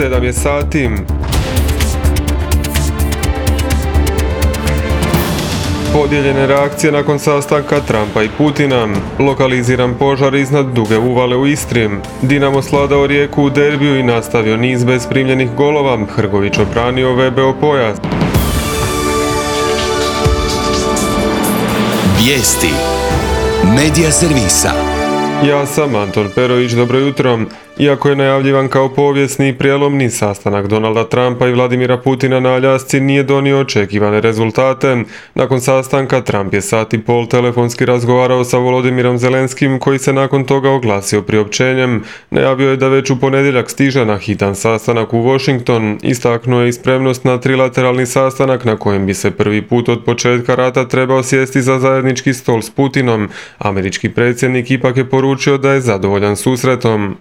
7 je sati. Podijeljene reakcije nakon sastanka Trumpa i Putina. Lokaliziran požar iznad Duge uvale u Istri. Dinamo svladao Rijeku u derbiju i nastavio niz bez primljenih golova. Hrgović obranio VBO pojas. Vijesti Medija servisa. Ja sam Anton Perović, dobro jutro. Iako je najavljivan kao povijesni i prijelomni sastanak Donalda Trumpa i Vladimira Putina na Aljasci nije donio očekivane rezultate. Nakon sastanka Trump je sat i pol telefonski razgovarao sa Volodimirom Zelenskim, koji se nakon toga oglasio priopćenjem. Najavio je da već u ponedjeljak stiže na hitan sastanak u Washington. Istaknuo je i spremnost na trilateralni sastanak na kojem bi se prvi put od početka rata trebao sjesti za zajednički stol s Putinom. Američki predsjednik ipak je poručio da je zadovoljan susretom.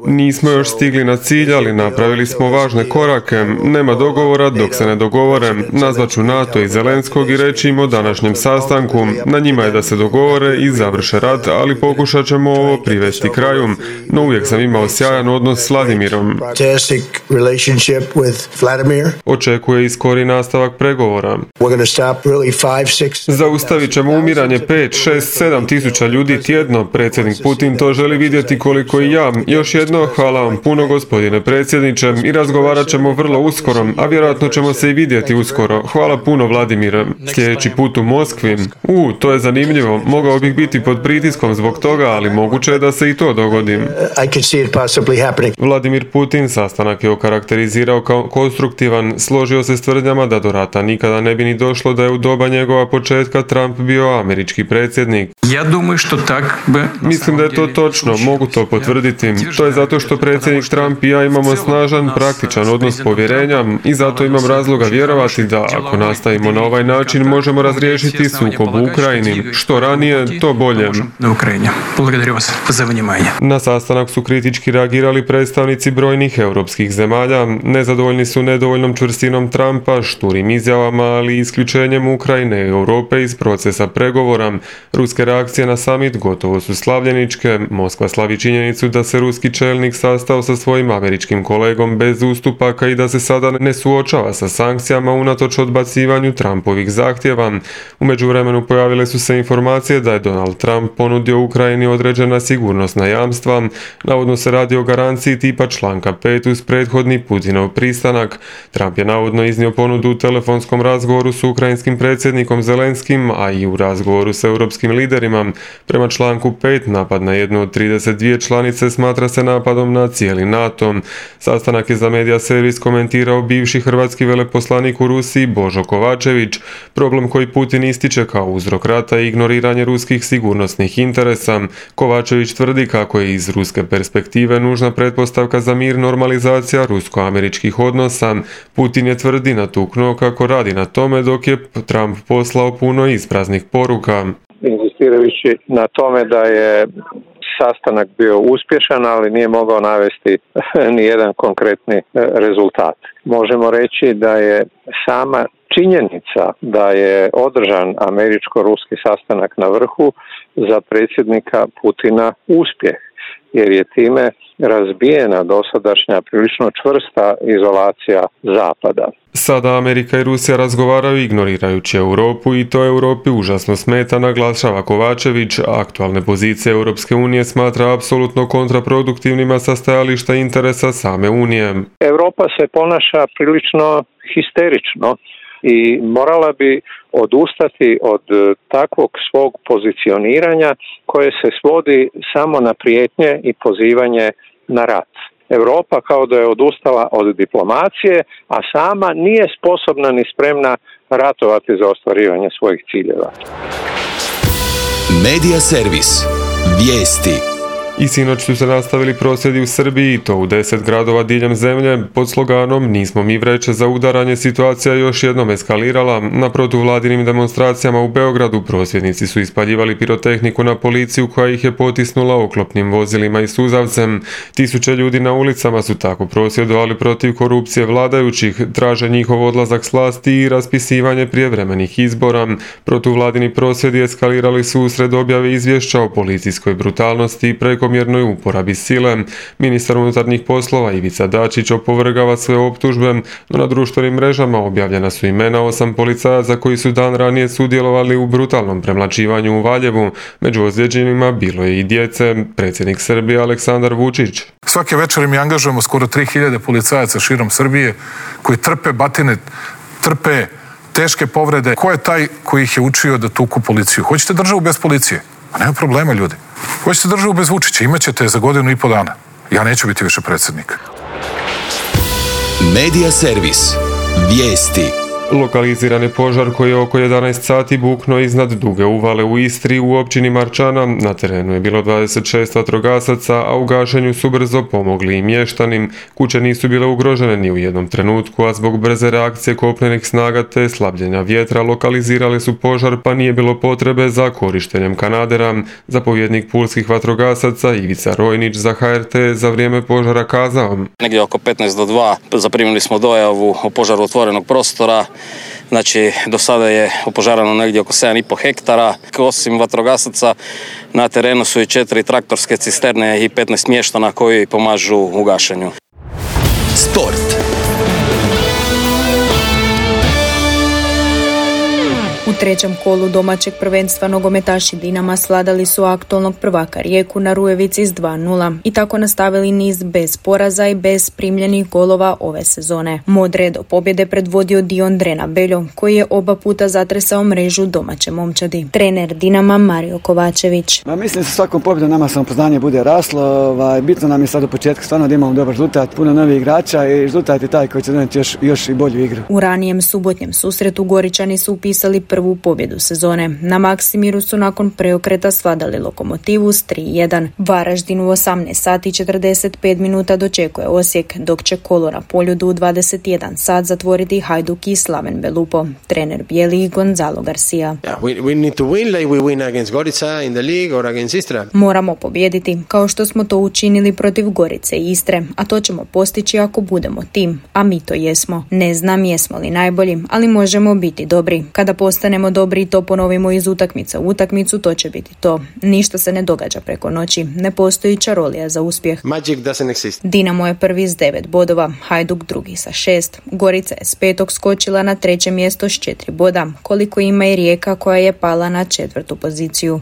Nismo još stigli na cilj, ali napravili smo važne korake. Nema dogovora dok se ne dogovore. Nazvaću NATO i Zelenskog i reći im o današnjem sastanku. Na njima je da se dogovore i završe rat, ali pokušat ćemo ovo privesti kraju. No uvijek sam imao sjajan odnos s Vladimirom. Očekuje i skori nastavak pregovora. Zaustavit ćemo umiranje 5, 6, 7 tisuća ljudi tjedno. Predsjednik Putin to želi vidjeti koliko i ja. Još jedno, hvala vam puno gospodine predsjedniče i razgovarat ćemo vrlo uskoro, a vjerojatno ćemo se i vidjeti uskoro. Hvala puno Vladimire. Sljedeći put u Moskvi. To je zanimljivo. Mogao bih biti pod pritiskom zbog toga, ali moguće je da se i to dogodi. Vladimir Putin sastanak je okarakterizirao kao konstruktivan, složio se s tvrdnjama da do rata nikada ne bi ni došlo da je u doba njegova početka Trump bio američki predsjednik. Mislim da je to točno, mogu to potvrditi. To je zato što predsjednik Trump i ja imamo snažan, praktičan odnos povjerenja i zato imam razloga vjerovati da ako nastavimo na ovaj način možemo razriješiti sukob u Ukrajini. Što ranije, to bolje. Na sastanak su kritički reagirali predstavnici brojnih europskih zemalja. Nezadovoljni su nedovoljnom čvrstinom Trumpa, šturim izjavama, ali i isključenjem Ukrajine i Europe iz procesa pregovora. Ruske reakcije na summit gotovo su slavljeničke. Moskva slavi činjenicu da se ruski čelnik sastao sa svojim američkim kolegom bez ustupaka i da se sada ne suočava sa sankcijama unatoč odbacivanju Trumpovih zahtjeva. U međuvremenu pojavile su se informacije da je Donald Trump ponudio Ukrajini određena sigurnosna jamstva. Navodno se radi o garanciji tipa članka 5 uz prethodni Putinov pristanak. Trump je navodno iznio ponudu u telefonskom razgovoru s ukrajinskim predsjednikom Zelenskim, a i u razgovoru s europskim liderima. Prema članku 5 napad na jednu od 32 članice smatra se napadom na cijeli NATO. Sastanak je za Medija servis komentirao bivši hrvatski veleposlanik u Rusiji Božo Kovačević. Problem koji Putin ističe kao uzrok rata je ignoriranje ruskih sigurnosnih interesa. Kovačević tvrdi kako je iz ruske perspektive nužna pretpostavka za mir normalizacija rusko-američkih odnosa. Putin je tvrdi natuknuo kako radi na tome dok je Trump poslao puno ispraznih poruka. Inzistirajući na tome da je sastanak bio uspješan, ali nije mogao navesti ni jedan konkretni rezultat. Možemo reći da je sama činjenica da je održan američko-ruski sastanak na vrhu za predsjednika Putina uspjeh, jer je time razbijena dosadašnja prilično čvrsta izolacija Zapada. Sada Amerika i Rusija razgovaraju ignorirajući Europu i to Europi užasno smeta, naglašava Kovačević. Aktualne pozicije Europske unije smatra apsolutno kontraproduktivnima sa stajališta interesa same Unije. Europa se ponaša prilično histerično i morala bi odustati od takvog svog pozicioniranja koje se svodi samo na prijetnje i pozivanje na rat. Europa kao da je odustala od diplomacije, a sama nije sposobna ni spremna ratovati za ostvarivanje svojih ciljeva. Medija servis. Vijesti. I sinoć su se nastavili prosvjedi u Srbiji, to u 10 gradova diljem zemlje, pod sloganom "Nismo mi vreće za udaranje", situacija još jednom eskalirala. Na protuvladinim demonstracijama u Beogradu prosvjednici su ispaljivali pirotehniku na policiju koja ih je potisnula oklopnim vozilima i suzavcem. Tisuće ljudi na ulicama su tako prosvjedovali protiv korupcije vladajućih, traže njihov odlazak s vlasti i raspisivanje prijevremenih izbora. Protuvladini prosvjedi eskalirali su usred objave izvješća o policijskoj brutalnosti i prekomjernoj prekomjernoj uporabi sile. Ministar unutarnjih poslova Ivica Dačić opovrgava sve optužbe, no na društvenim mrežama objavljena su imena 8 policajaca koji su dan ranije sudjelovali u brutalnom premlaćivanju u Valjevu. Među ozlijeđenima bilo je i djece. Predsjednik Srbije Aleksandar Vučić. Svake večeri mi angažujemo skoro 3000 policajaca širom Srbije koji trpe batine, trpe teške povrede. Ko je taj koji ih je učio da tuku policiju? Hoćete državu bez policije? Pa nema problema, ljudi. Hoćete državu bez Vučića? Imaćete za 1.5 dana. Ja neću biti više predsjednik. Medija servis. Vijesti. Lokaliziran je požar koji je oko 11 sati buknuo iznad Duge uvale u Istri u općini Marčana. Na terenu je bilo 26 vatrogasaca, a u gašenju su brzo pomogli i mještani. Kuće nisu bile ugrožene ni u jednom trenutku, a zbog brze reakcije kopnenih snaga te slabljenja vjetra lokalizirali su požar, pa nije bilo potrebe za korištenjem kanadera. Zapovjednik pulskih vatrogasaca Ivica Rojnić za HRT za vrijeme požara kazao: Negdje oko 15 do 2 zaprimili smo dojavu o požaru otvorenog prostora. Znači, do sada je opožarano negdje oko 7,5 hektara. Osim vatrogasaca, na terenu su i 4 traktorske cisterne i 15 mještana koji pomažu u gašenju. Sport. U trećem kolu domaćeg prvenstva nogometaši Dinama svladali su aktualnog prvaka Rijeku na Rujevici s 2:0 i tako nastavili niz bez poraza i bez primljenih golova ove sezone. Modre do pobjede predvodio Dion Drena Beljo, koji je oba puta zatresao mrežu domaće momčadi. Trener Dinama Mario Kovačević. Mislim da sa svakom pobjedom nama samopoznanje bude raslo. Bitno nam je sad u početku stvarno da imamo dobar rezultat, puno novih igrača i rezultat je taj koji će donijeti još i bolju igru. U ranijem subotnjem susretu Goričani su upisali prvu pobjedu sezone. Na Maksimiru su nakon preokreta svladali Lokomotivu s 3:1. Varaždin u 18 sati 45 minuta dočekuje Osijek, dok će kolo na Poljudu u 21 sat zatvoriti Hajduk i Slaven Belupo. Trener bijeli Gonzalo Garcia. Moramo pobijediti, kao što smo to učinili protiv Gorice i Istre, a to ćemo postići ako budemo tim, a mi to jesmo. Ne znam jesmo li najbolji, ali možemo biti dobri. Kada postanemo dobri i to ponovimo iz utakmice u utakmicu, to će biti to. Ništa se ne događa preko noći. Ne postoji čarolija za uspjeh. Dinamo je prvi s 9 bodova, Hajduk drugi sa 6. Gorica je s 5. skočila na 3. mjesto s 4 boda, koliko ima i Rijeka koja je pala na 4. poziciju.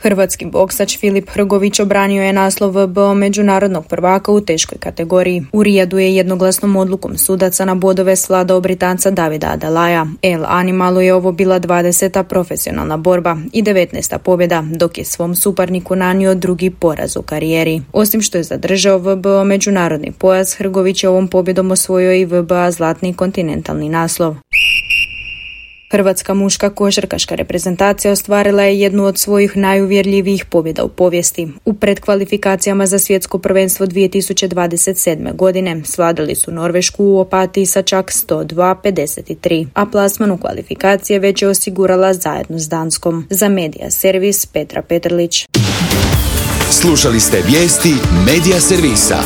Hrvatski boksač Filip Hrgović obranio je naslov VBO međunarodnog prvaka u teškoj kategoriji. U Rijadu je jednoglasnom odlukom sudaca na bodove svladao Britanca Davida Adelaja. El Animalu je ovo bila 20. profesionalna borba i 19. pobjeda, dok je svom suparniku nanio drugi poraz u karijeri. Osim što je zadržao VBO međunarodni pojas, Hrgović je ovom pobjedom osvojio i VBA zlatni kontinentalni naslov. Hrvatska muška košarkaška reprezentacija ostvarila je jednu od svojih najuvjerljivijih pobjeda u povijesti. U predkvalifikacijama za svjetsko prvenstvo 2027. godine svladali su Norvešku u Opatiji sa čak 102-53, a plasman u kvalifikacije već je osigurala zajedno s Danskom. Za Medija servis Petra Petrlić. Slušali ste vijesti Medija servisa.